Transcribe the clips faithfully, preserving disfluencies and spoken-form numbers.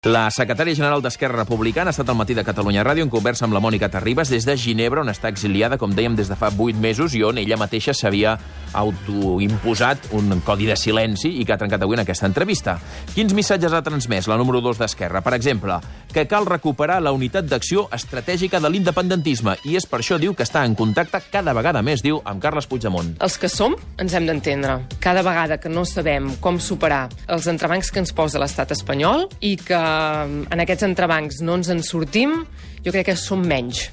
La secretària general d'Esquerra Republicana ha estat al Matí de Catalunya Ràdio en conversa amb la Mònica Terribas des de Ginebra, on està exiliada, com dèiem, des de fa vuit mesos i on ella mateixa s'havia autoimposat un codi de silenci i que ha trencat avui en aquesta entrevista. Quins missatges ha transmès la número dos d'Esquerra? Per exemple, que cal recuperar la unitat d'acció estratègica de l'independentisme i és per això, diu, que està en contacte cada vegada més, diu, amb Carles Puigdemont. Els que som ens hem d'entendre. Cada vegada que no sabem com superar els entrebancs que ens posa l'estat espanyol i que en aquests entrebancs no ens en sortim, jo crec que som menys.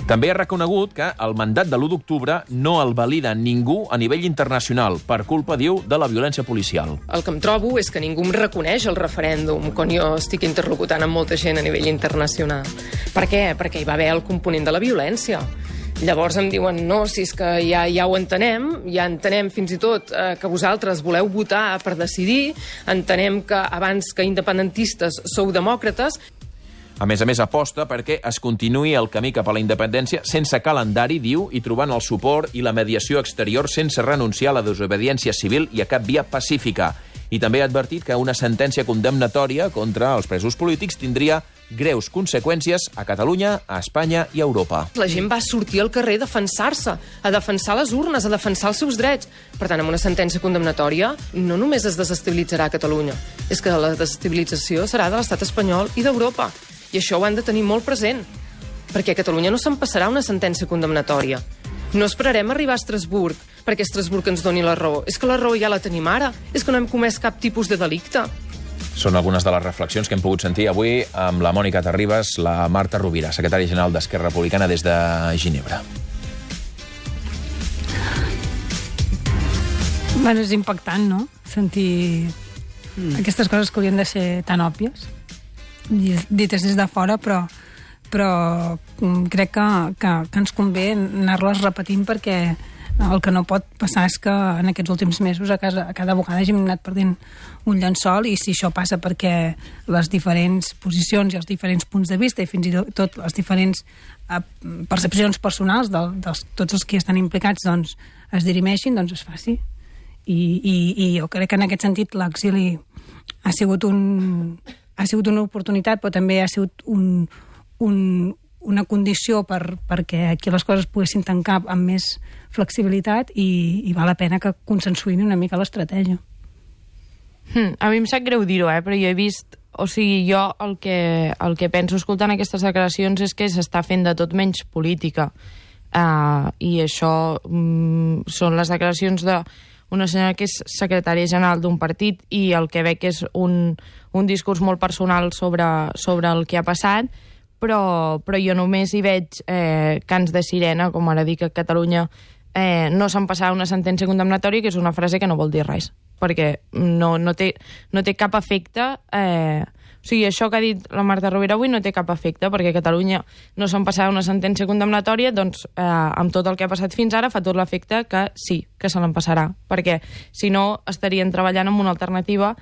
També ha reconegut que el mandat de l'u d'octubre no el valida ningú a nivell internacional per culpa, diu, de la violència policial. El que em trobo és que ningú em reconeix el referèndum quan jo estic interlocutant amb molta gent a nivell internacional. Per què? Perquè hi va haver el component de la violència. Llavors em diuen, no, si és que ja, ja ho entenem, ja entenem fins i tot eh, que vosaltres voleu votar per decidir, entenem que abans que independentistes sou demòcrates. A més a més, aposta perquè es continuï el camí cap a la independència sense calendari, diu, i trobant el suport i la mediació exterior sense renunciar a la desobediència civil i a cap via pacífica. I també ha advertit que una sentència condemnatòria contra els presos polítics tindria greus conseqüències a Catalunya, a Espanya i a Europa. La gent va sortir al carrer a defensar-se, a defensar les urnes, a defensar els seus drets. Per tant, amb una sentència condemnatòria no només es desestabilitzarà Catalunya, és que la desestabilització serà de l'estat espanyol i d'Europa. I això ho han de tenir molt present, perquè a Catalunya no se'n passarà una sentència condemnatòria. No esperarem arribar a Estrasburg perquè Estrasburg ens doni la raó. És que la raó ja la tenim ara. És que no hem comès cap tipus de delicte. Són algunes de les reflexions que hem pogut sentir avui amb la Mònica Terribas, la Marta Rovira, secretària general d'Esquerra Republicana des de Ginebra. Bueno, és impactant, no?, sentir mm. aquestes coses que haurien de ser tan òbvies, dites des de fora, però, però crec que, que, que ens convé anar-les repetint perquè el que no pot passar és que en aquests últims mesos a, casa, a cada vegada hàgim anat perdent un llençol i si això passa perquè les diferents posicions i els diferents punts de vista i fins i tot les diferents eh, percepcions personals de, de tots els que estan implicats doncs, es dirimeixin, doncs es faci. I, i, i jo crec que en aquest sentit l'exili ha sigut un... ha sigut una oportunitat, però també ha sigut un, un, una condició per, perquè aquí les coses poguessin tancar amb més flexibilitat i, i val la pena que consensuïn una mica l'estratègia. Hmm, a mi em sap greu dir-ho, eh? Però jo he vist... O sigui, jo el que, el que penso escoltant aquestes declaracions és que s'està fent de tot menys política. Uh, I això um, són les declaracions de una senyora que és secretària general d'un partit i el que veig és un, un discurs molt personal sobre, sobre el que ha passat, però, però jo només hi veig eh, cants de sirena, com ara dic que a Catalunya eh, no se'n passarà una sentència condemnatòria, que és una frase que no vol dir res, perquè no, no, té, no té cap efecte... Eh, O sigui, això que ha dit la Marta Rovira avui no té cap efecte, perquè a Catalunya no se'n passarà una sentència condemnatòria, doncs eh, amb tot el que ha passat fins ara fa tot l'efecte que sí, que se l'empassarà, perquè si no estarien treballant en una alternativa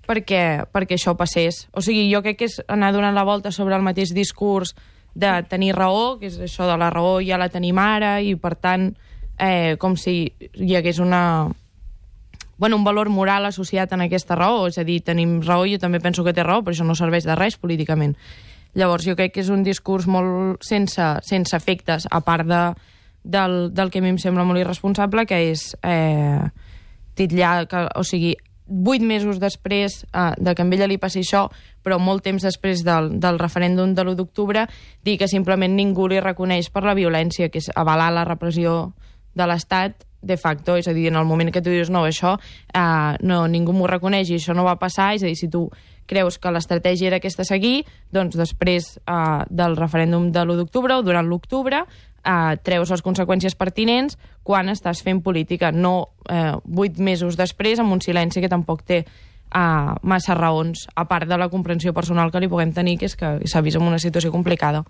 perquè, perquè això passés. O sigui, jo crec que és anar donant la volta sobre el mateix discurs de tenir raó, que és això de la raó ja la tenim ara, i per tant, eh, com si hi hagués una... Bueno, un valor moral associat en aquesta raó, és a dir, tenim raó, jo també penso que té raó, però això no serveix de res políticament. Llavors, jo crec que és un discurs molt sense, sense efectes, a part de, del, del que a mi em sembla molt irresponsable, que és eh, titllar, que, o sigui, vuit mesos després eh, de que a ella li passi això, però molt temps després del, del referèndum de l'u d'octubre, dir que simplement ningú li reconeix per la violència, que és avalar la repressió de l'Estat, de facto, és a dir, en el moment que tu dius no, això, eh, no, ningú m'ho reconeix i això no va passar, és a dir, si tu creus que l'estratègia era aquesta seguir, doncs després eh, del referèndum de l'u d'octubre o durant l'octubre eh, treus les conseqüències pertinents quan estàs fent política, no eh, vuit mesos després amb un silenci que tampoc té eh, massa raons, a part de la comprensió personal que li puguem tenir, que és que s'ha vist en una situació complicada.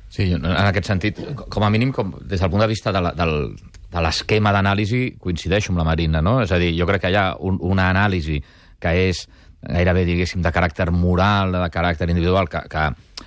Sí, en aquest sentit, com a mínim, com, des del punt de vista de la, del, de l'esquema d'anàlisi, coincideixo amb la Marina, no? És a dir, jo crec que hi ha un, una anàlisi que és gairebé, diguéssim, de caràcter moral, de caràcter individual, que, que,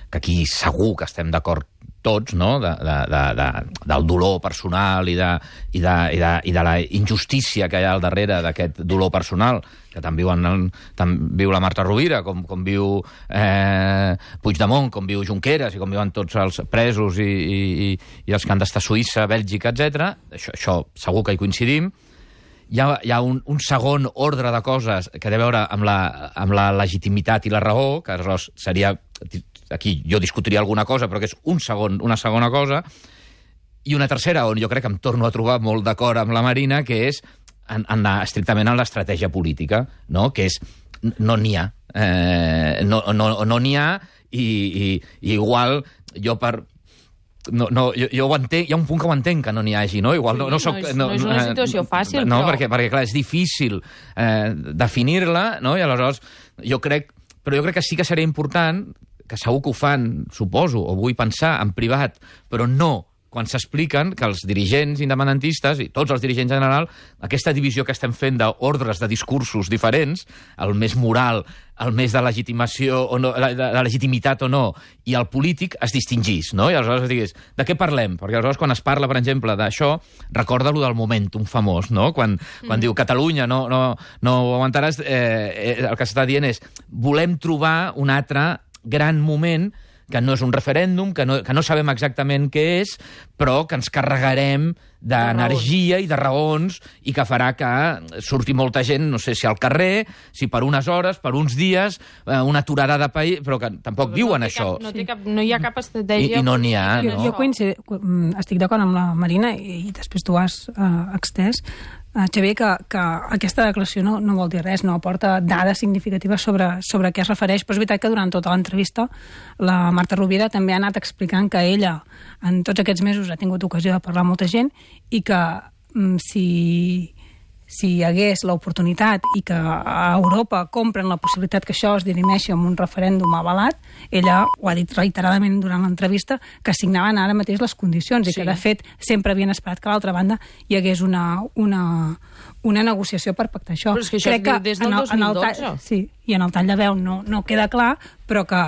que aquí segur que estem d'acord tots, no?, de, de, de, de, del dolor personal i de, i, de, i, de, i de la injustícia que hi ha al darrere d'aquest dolor personal, que tant, viuen el, tant viu la Marta Rovira, com, com viu eh, Puigdemont, com viu Junqueras, i com viuen tots els presos i, i, i els que han d'estar a Suïssa, Bèlgica, etcètera. Això, això segur que hi coincidim. Hi ha, hi ha un, un segon ordre de coses que té a veure amb la, amb la legitimitat i la raó, que aleshores seria... Aquí jo discutiria alguna cosa, però que és un segon, una segona cosa, i una tercera, on jo crec que em torno a trobar molt d'acord amb la Marina, que és en, en la, estrictament en l'estratègia política, no?, que és no n'hi ha. Eh, no no, no n'hi ha, i, i, i igual jo per... No, no, jo, jo ho entenc, hi ha un punt que ho entenc que no n'hi hagi, no? Igual no, no, soc, no, és, no, no és una situació fàcil, no, però... perquè, perquè clar, és difícil eh, definir-la, no? I aleshores jo crec... Però jo crec que sí que seria important, que segur que ho fan, suposo, o vull pensar, en privat, però no quan s'expliquen que els dirigents independentistes, i tots els dirigents en general, aquesta divisió que estem fent d'ordres de discursos diferents, el més moral, el més de legitimació o no, de, de legitimitat o no, i el polític es distingís, no? I aleshores digués, de què parlem? Perquè aleshores quan es parla, per exemple, d'això, recorda lo del momentum famós, no? Quan, quan mm. diu Catalunya, no, no, no ho aguantaràs, eh, el que s'està dient és volem trobar un altre gran moment que no és un referèndum, que no, que no sabem exactament què és, però que ens carregarem d'energia i de raons i que farà que surti molta gent, no sé si al carrer, si per unes hores, per uns dies, una aturada de país, però que tampoc però diuen no això. Cap, no, té cap, no hi ha cap estratègia... I, i no n'hi ha, jo, no? Jo coincido, estic d'acord amb la Marina, i, i després tu has uh, extès, Uh, Xavier, que, que aquesta declaració no, no vol dir res, no aporta dades significatives sobre, sobre què es refereix, però és veritat que durant tota l'entrevista la Marta Rovira també ha anat explicant que ella en tots aquests mesos ha tingut ocasió de parlar amb molta gent i que mm, si, si hi hagués l'oportunitat i que a Europa compren la possibilitat que això es dirimeixi amb un referèndum avalat, ella ho ha dit reiteradament durant l'entrevista, que signaven ara mateix les condicions sí. i que, de fet, sempre havien esperat que a l'altra banda hi hagués una, una, una negociació per pactar això. Però és que això Crec es diu des del dos mil dotze. En el, sí, i en el tall de veu no, no queda clar, però que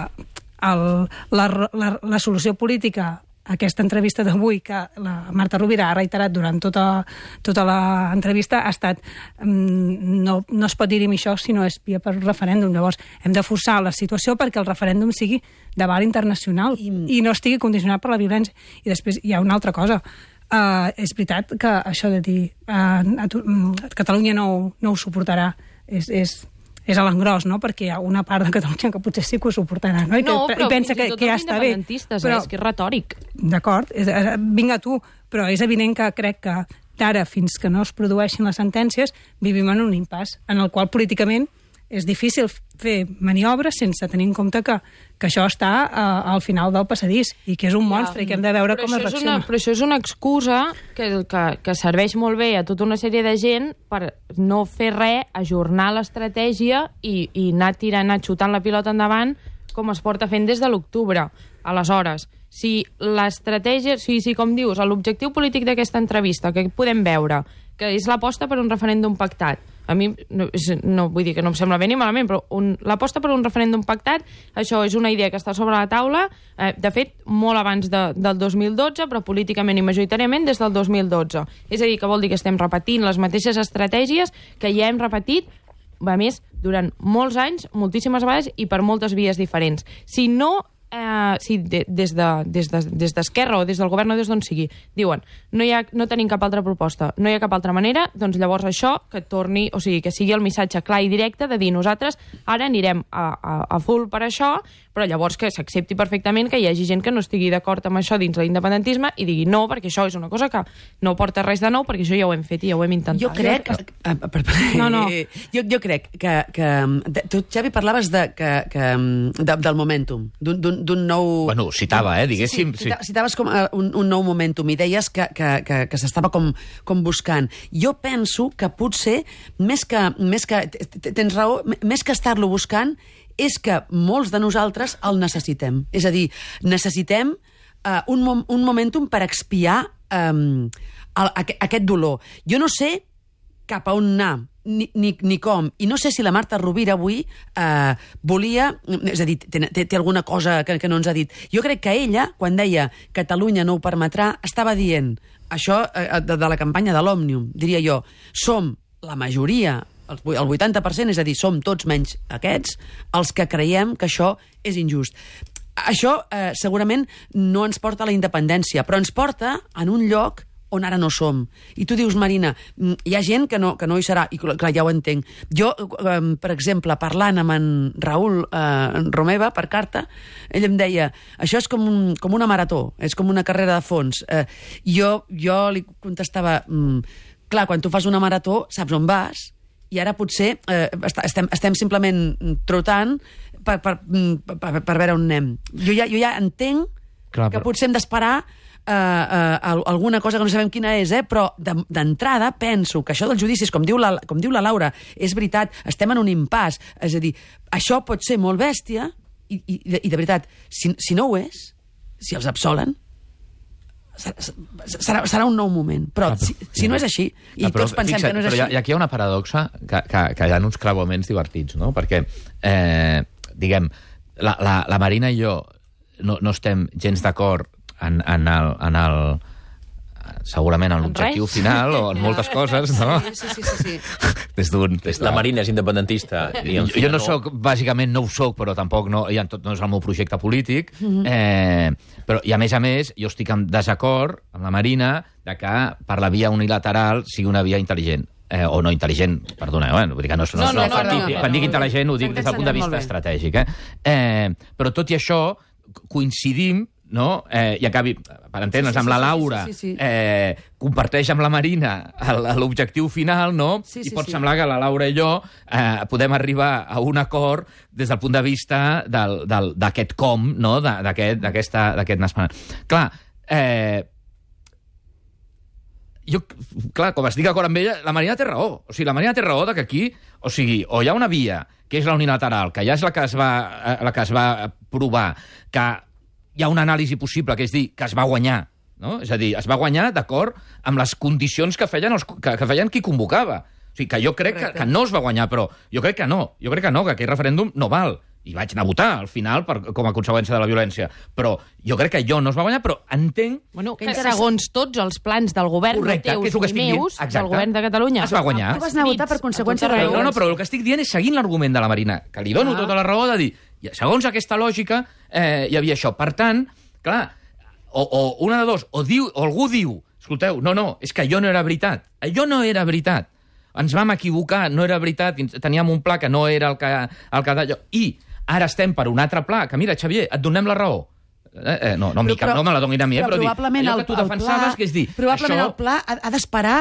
el, la, la, la solució política aquesta entrevista d'avui, que la Marta Rovira ha reiterat durant tota, tota l'entrevista, ha estat no, no es pot dirimir això si no és via per referèndum. Llavors, hem de forçar la situació perquè el referèndum sigui de val internacional i, i no estigui condicionat per la violència. I després hi ha una altra cosa. Uh, és veritat que això de dir uh, Catalunya no, no ho suportarà és... és és a l'engròs, no? Perquè hi ha una part de Catalunya que potser sí que ho suportarà, no? I, no, que, però i pensa que, que ja està bé. Però és que és retòric. D'acord, vinga tu, però és evident que crec que d'ara fins que no es produeixin les sentències vivim en un impàs en el qual políticament és difícil fer maniobres sense tenir en compte que, que això està uh, al final del passadís i que és un monstre ja, i que hem de veure com es reacciona. Una, però això és una excusa que, que, que serveix molt bé a tota una sèrie de gent per no fer res, ajornar l'estratègia i, i anar tirant, anar xutant la pilota endavant com es porta fent des de l'octubre. Aleshores, si l'estratègia, si, si com dius, l'objectiu polític d'aquesta entrevista, que podem veure, que és l'aposta per un referèndum pactat, a mi, no, no vull dir que no em sembla bé ni malament, però un, l'aposta per un referèndum pactat, això és una idea que està sobre la taula, eh, de fet, molt abans de, del dos mil dotze, però políticament i majoritàriament des del dos mil dotze. És a dir, que vol dir que estem repetint les mateixes estratègies que ja hem repetit, a més, durant molts anys, moltíssimes vegades i per moltes vies diferents. Si no... Eh, si de, des d'Esquerra de, des de, des d'Esquerra o des del govern o des d'on sigui diuen no, hi ha, no tenim cap altra proposta, no hi ha cap altra manera, doncs llavors això que torni, o sigui, que sigui el missatge clar i directe de dir nosaltres ara anirem a, a, a full per això, però llavors que s'accepti perfectament que hi hagi gent que no estigui d'acord amb això dins l'independentisme i digui no, perquè això és una cosa que no porta res de nou, perquè això ja ho hem fet i ja ho hem intentat. Jo crec... Ah, per, per, no, no. Jo, jo crec que... que tu, Xavi, parlaves de, que, que, de, del momentum, d'un nou... Bueno, citava, eh, diguéssim. Sí, sí. Citaves com uh, un, un nou momentum i deies que, que, que, que s'estava com, com buscant. Jo penso que potser, més que, més que tens raó, més que estar-lo buscant, és que molts de nosaltres el necessitem. És a dir, necessitem uh, un, mom un momentum per expiar um, el, aquest dolor. Jo no sé cap a on anar, ni, ni, ni com. I no sé si la Marta Rovira avui eh, volia... És a dir, té, té, té alguna cosa que, que no ens ha dit. Jo crec que ella, quan deia Catalunya no ho permetrà, estava dient això eh, de, de la campanya de l'Òmnium, diria jo, som la majoria, el vuitanta per cent, és a dir, som tots menys aquests, els que creiem que això és injust. Això eh, segurament no ens porta a la independència, però ens porta en un lloc on ara no som. I tu dius, Marina, hi ha gent que no, que no hi serà, i clar, ja ho entenc. Jo, eh, per exemple, parlant amb en Raül eh, Romeva per carta, ell em deia, això és com, un, com una marató, és com una carrera de fons. Eh, jo, jo li contestava, mm, clar, quan tu fas una marató, saps on vas, i ara potser eh, estem, estem simplement trotant per, per, per, per veure on anem. Jo ja, jo ja entenc clar, que però... potser hem d'esperar Uh, uh, alguna cosa que no sabem quina és, eh? Però d'entrada penso que això dels judicis, com diu, la, com diu la Laura, és veritat, estem en un impàs, és a dir, això pot ser molt bèstia i, i, i de veritat, si, si no ho és, si els absolen, serà, serà un nou moment, però, però si, si no és així i però, tots pensem fixa't, que no és però així... Hi, aquí hi ha una paradoxa que, que, que hi ha uns creuaments divertits, no? Perquè, eh, diguem, la, la, la Marina i jo no, no estem gens d'acord En, en, el, en el segurament en l'objectiu final o en moltes coses, no? Sí, sí, sí, sí. Des d'un... La Marina és independentista. I jo, jo no soc, bàsicament no ho soc, però tampoc no, ja, tot, no és el meu projecte polític. Mm-hmm. eh, però, I a més a més, jo estic en desacord amb la Marina de que per la via unilateral sigui una via intel·ligent. Eh, o no intel·ligent, perdona, eh? Vull dir que no, no, no, no, no, no, quan dic intel·ligent ho dic des del punt de vista estratègic. Eh? Eh, però tot i això, coincidim no? Eh, i acabi, per entendre'ns, sí, sí, amb la Laura, sí, sí, sí. Eh, comparteix amb la Marina l'objectiu final, no? Sí, sí, I pot sí. semblar que la Laura i jo eh, podem arribar a un acord des del punt de vista d'aquest com, no? d'aquest naixement. Clar, eh, jo, clar, com estic d'acord amb ella, la Marina té raó. O sigui, la Marina té raó de que aquí, o sigui, o hi ha una via, que és la unilateral, que ja és la que es va, la que es va provar, que hi ha una anàlisi possible, que és dir, que es va guanyar, no? És a dir, es va guanyar d'acord amb les condicions que feien, els, que, que feien qui convocava. O sigui, que jo crec que, que no es va guanyar, però jo crec que no. Jo crec que no, que aquell referèndum no val. I vaig anar a votar, al final, per, com a conseqüència de la violència. Però jo crec que jo no es va guanyar, però entenc... Bueno, que segons tots els plans del govern, correcte, no teus ni meus, del govern de Catalunya... Es va guanyar. Tu vas anar a votar per conseqüència de la violència. No, no, però el que estic dient és seguint l'argument de la Marina, que li dono ah. tota la raó de dir, segons aquesta lògica, eh, hi havia això. Per tant, clar, o, o una de dos, o, diu, o algú diu, escolteu, no, no, és que allò no era veritat. Allò no era veritat. Ens vam equivocar, no era veritat, teníem un pla que no era el que... El que d'allò. I ara estem per un altre pla, que mira, Xavier, et donem la raó. Eh, eh, no, no, però, però, no me la donin a mi, eh, però, però dir, allò que tu defensaves, pla, que és dir... Probablement això... el pla ha, ha d'esperar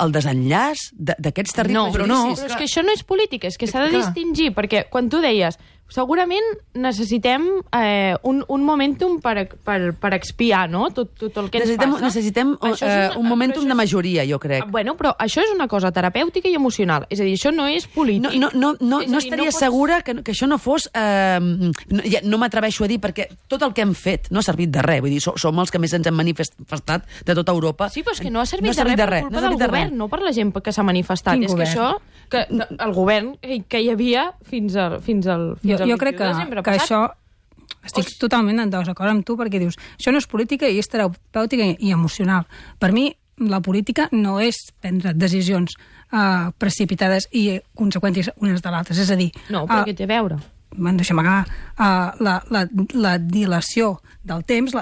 el desenllaç d'aquests terribles no, però no, però és que això no és polític, és que s'ha de distingir, perquè quan tu deies segurament necessitem eh, un, un momentum per, per, per expiar, no?, tot, tot el que necessitem, ens passa. Necessitem uh, una, un momentum de majoria, jo crec. Bueno, però això és una cosa terapèutica i emocional. És a dir, això no és polític. No, no, no, no, no estaria no pots... segura que, que això no fos... Eh, no ja, no m'atreveixo a dir, perquè tot el que hem fet no ha servit de res. Vull dir, som, som els que més ens hem manifestat de tota Europa. Sí, però és que no ha servit, no ha servit de res per culpa no del govern, no per la gent que s'ha manifestat. Quin és govern? Que això... Que, el govern que hi havia fins al... Fins al fins jo, jo crec que, que això estic o... totalment en desacord amb tu, perquè dius, això no és política i és terapèutica i emocional. Per mi, la política no és prendre decisions uh, precipitades i conseqüències unes de l'altres. És a dir... No, però uh, què té a veure? Bueno, deixa'm acabar. Uh, la, la, la dilació del temps,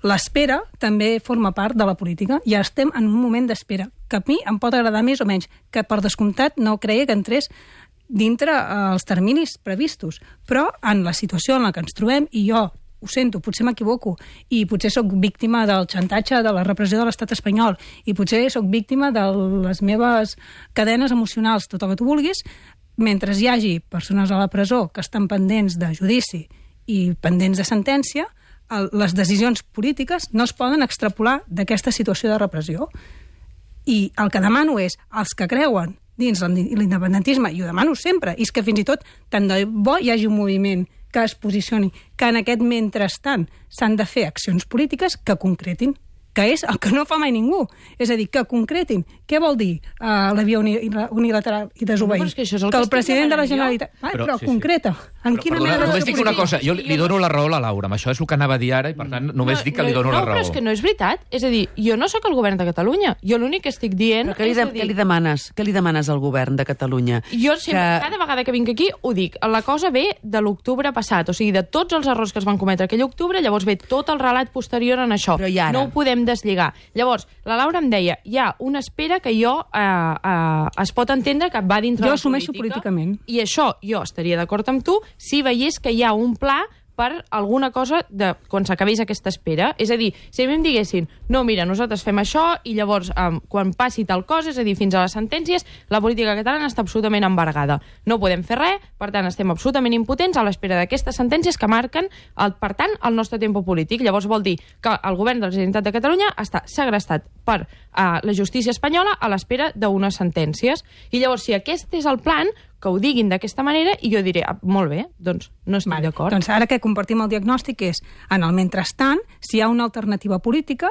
l'espera també forma part de la política. Ja estem en un moment d'espera, que a mi em pot agradar més o menys, que per descomptat no creia que entrés dintre els terminis previstos. Però en la situació en la que ens trobem, i jo ho sento, potser m'equivoco, i potser sóc víctima del xantatge de la repressió de l'estat espanyol, i potser sóc víctima de les meves cadenes emocionals, tot el que tu vulguis, mentre hi hagi persones a la presó que estan pendents de judici i pendents de sentència, el, les decisions polítiques no es poden extrapolar d'aquesta situació de repressió. I el que demano és, els que creuen dins l'independentisme, i ho demano sempre, i és que fins i tot tant de bo hi hagi un moviment que es posicioni, que en aquest mentrestant s'han de fer accions polítiques que concretin que és el que no fa mai ningú. És a dir, que concretin què vol dir uh, la via uni unilateral i desobeir. No, que, és el que que el president de la jo. Generalitat... Ah, però, però sí, concreta. Sí. En però, quina perdona, mena només de... dic una cosa, jo li, li dono la raó a la Laura, amb això és el que anava a dir ara i per tant només no, dic que li dono no, la raó. No, però és que no és veritat. És a dir, jo no sóc el govern de Catalunya. Jo l'únic que estic dient... Però què li, de, és a dir, què li demanes? Què li demanes al govern de Catalunya? Jo sempre, que... cada vegada que vinc aquí, ho dic. La cosa ve de l'octubre passat, o sigui, de tots els errors que es van cometre aquell octubre, llavors ve tot el relat posterior en això. Però i ara? No ho podem deslligar. Llavors, la Laura em deia, hi ha una espera que jo eh, eh, es pot entendre que va dintre Jo la assumeixo política, políticament. I això jo estaria d'acord amb tu si veiés que hi ha un pla per alguna cosa de quan s'acabés aquesta espera. És a dir, si a mi em diguessin no, mira, nosaltres fem això i llavors um, quan passi tal cosa, és a dir, fins a les sentències, la política catalana està absolutament embargada. No podem fer res, per tant, estem absolutament impotents a l'espera d'aquestes sentències que marquen, el, per tant, el nostre temps polític. Llavors vol dir que el govern de la Generalitat de Catalunya està segrestat per uh, la justícia espanyola a l'espera d'unes sentències. I llavors, si aquest és el plan, que ho diguin d'aquesta manera i jo diré, ah, molt bé, doncs no estic Vale. d'acord. Doncs ara que compartim el diagnòstic és, en el mentrestant, si hi ha una alternativa política,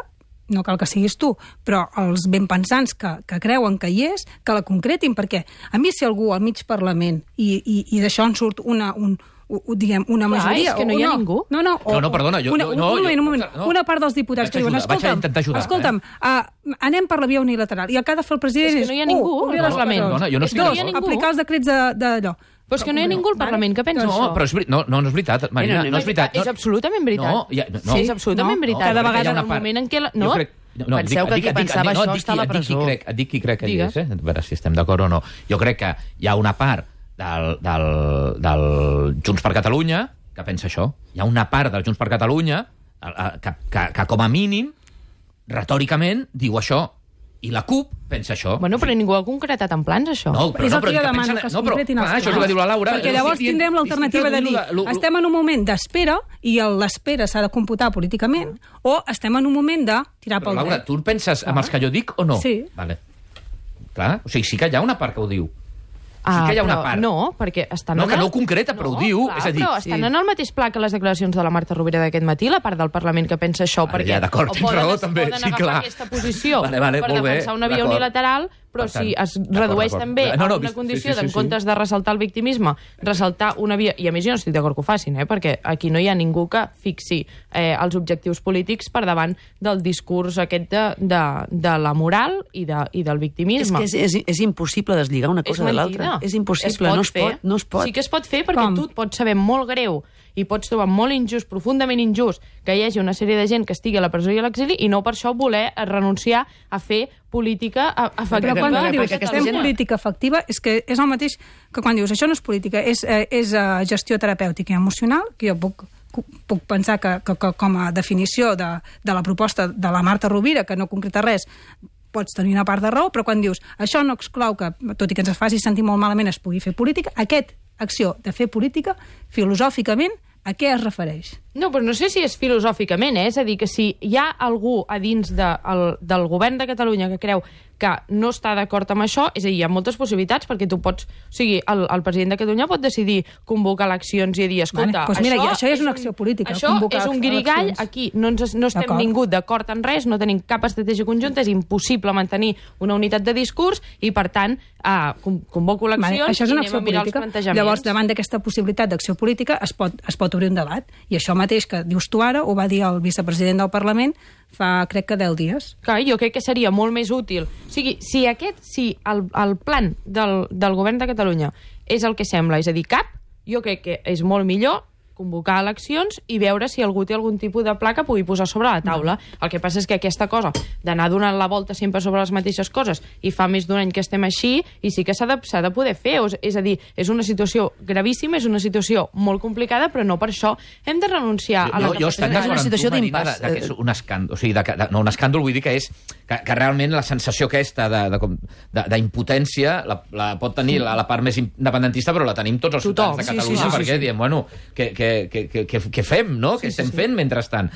no cal que siguis tu, però els benpensants que, que creuen que hi és, que la concretin, perquè a mi si algú al mig Parlament i, i, i d'això en surt una, un, un, diguem, una Clar, majoria... és que no o hi ha no, ningú. No, no, o, No, no, perdona, jo- una, jo- no, un moment, jo- un moment. no. Una part dels diputats Vaig que diuen, ajudar, vaig escolta'm, intentar ajudar, escolta'm uh, anem per la via unilateral, i el que ha de fer el president És és... que no hi ha ningú uh, obrir al les Parlament. presons. Perdona, jo no És estic dos, d'acord. aplicar els decrets de- d'allò. Però és que no hi ha ningú al Parlament que pensa No, això. però és, veri- no, no, no és veritat, Marina, Mira, no és veritat. És no, absolutament veritat. No, ja, no, Sí, és absolutament no, veritat. cada jo crec que vegada hi ha en una el part- moment en què... La... jo No, crec- No, Penseu que qui pensava això està a la et dic presó. qui crec, et dic qui crec que hi Digues. és, eh? A veure si estem d'acord o no. Jo crec que hi ha una part del, del, del Junts per Catalunya que pensa això. Hi ha una part del Junts per Catalunya que, que, que com a mínim, retòricament, diu això. I la CUP pensa això. Bueno, però ningú ha concretat en plans, això. No, però És no, el però que jo que demano, pensa- que es no, però, concretin els clar, això és el plans. que diu la Laura. Perquè Jo llavors estic dient- tindrem l'alternativa de estic dir dient lo- lo- estem en un moment d'espera i el- l'espera s'ha de computar políticament o estem en un moment de tirar Però, pel Laura, dret. tu penses amb els que jo dic o no? Sí. Vale. Clar, o sigui, sí que hi ha una part que ho diu. Ah, sí que hi ha una però part. No, perquè estan... No, en que el- no ho concreta, però ho diu, Clar, és a dir, però estan sí. en el mateix pla que les declaracions de la Marta Rovira d'aquest matí, la part del Parlament que pensa això, Vale, perquè ja, d'acord, o tens poden, raó, també, poden sí, agafar clar. aquesta posició Vale, vale, per molt bé, defensar una via d'acord. unilateral, però Per tant, si es d'acord, redueix d'acord. també No, no, a una vist- condició sí, sí, d'en sí, comptes sí. de ressaltar el victimisme, ressaltar una via... I a més jo no estic d'acord que ho facin, eh? Perquè aquí no hi ha ningú que fixi eh, els objectius polítics per davant del discurs aquest de, de, de la moral i, de, i del És victimisme. que és, és, és impossible deslligar una cosa de l'altra. És impossible, no es fer. pot. No es pot. Sí que es pot fer perquè Com? tu et pots saber molt greu i pots trobar molt injust, profundament injust, que hi hagi una sèrie de gent que estigui a la presó i a l'exili i no per això voler renunciar a fer política a- efectiva. Però quan perquè dius aquesta fem gent- política efectiva, és que és el mateix que quan dius això no és política, és, eh, és uh, gestió terapèutica i emocional, que jo puc, puc pensar que, que, que com a definició de, de la proposta de la Marta Rovira, que no concreta res, pots tenir una part de raó, però quan dius això no exclou que, tot i que ens faci sentir molt malament, es pugui fer política, aquest acció de fer política, filosòficament, a què es refereix? No, però no sé si és filosòficament, eh? És a dir, que si hi ha algú a dins de, el, del govern de Catalunya que creu que no està d'acord amb això, és a dir, hi ha moltes possibilitats, perquè tu pots... O sigui, el, el president de Catalunya pot decidir convocar eleccions i dir, escolta, Vale, doncs mira, això, i això és una acció política, Això convocar és un guirigall, eleccions. aquí no, ens, no estem D'acord. ningú d'acord en res, no tenim cap estratègia conjunta, és impossible mantenir una unitat de discurs i, per tant, eh, con- convoco eleccions Vale, això és una i acció anem a mirar política. els plantejaments. Llavors, davant d'aquesta possibilitat d'acció política es pot, es pot obrir un debat. I això mateix que dius tu ara ho va dir el vicepresident del Parlament fa, crec que, deu dies. Clar, jo crec que seria molt més útil. O sigui, si aquest, si el, el plan del, del govern de Catalunya és el que sembla, és a dir, cap, jo crec que és molt millor convocar eleccions i veure si algú té algun tipus de pla que pugui posar sobre la taula. El que passa és que aquesta cosa d'anar donant la volta sempre sobre les mateixes coses i fa més d'un any que estem així i sí que s'ha de, s'ha de poder fer. O, és a dir, és una situació gravíssima, és una situació molt complicada, però no per això hem de renunciar a la jo, jo estic capacitat. d'acord una amb situació tu, Marina, d'impàs. de, de que és un escàndol. O sigui, de, de, no, un escàndol vull dir que és que, que realment la sensació aquesta de- de com- de- d'impotència la, la pot tenir la, la part més independentista, però la tenim tots els Tothom. ciutadans de Sí, sí, Catalunya, sí, sí, perquè sí. diem, bueno, que, que, que, que, que, què fem, no? Què estem fent mentrestant?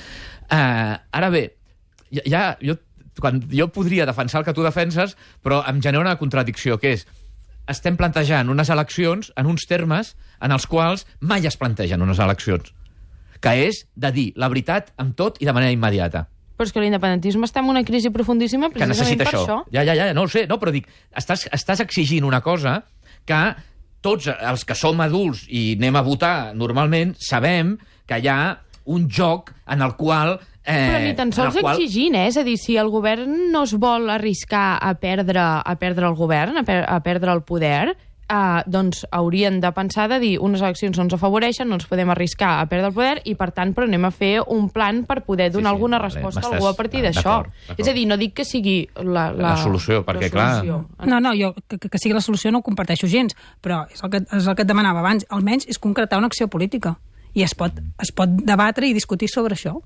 Uh, ara bé, ja, ja jo, quan, jo podria defensar el que tu defenses, però em genera una contradicció, que és estem plantejant unes eleccions en uns termes en els quals mai es plantegen unes eleccions, que és de dir la veritat amb tot i de manera immediata. Però és que l'independentisme està en una crisi profundíssima que precisament necessita per això. això. Ja, ja, ja, no ho sé, no, però dic, estàs, estàs exigint una cosa que tots els que som adults i anem a votar normalment sabem que hi ha un joc en el qual... Eh, Però ni tan sols qual... exigint, eh? És a dir, si el govern no es vol arriscar a perdre, a perdre el govern, a, per, a perdre el poder, eh, doncs haurien de pensar de dir unes eleccions no ens afavoreixen, no ens podem arriscar a perdre el poder i, per tant, però anem a fer un plan per poder donar Sí, sí, alguna vale, resposta a m'estàs- algú a partir ah, d'això. d'acord, d'acord. És a dir, no dic que sigui la, la, La solució, perquè, clar- No, no, jo que, que sigui la solució no ho comparteixo gens, però és el, que, és el que et demanava abans. Almenys és concretar una acció política. I es pot, es pot debatre i discutir sobre això.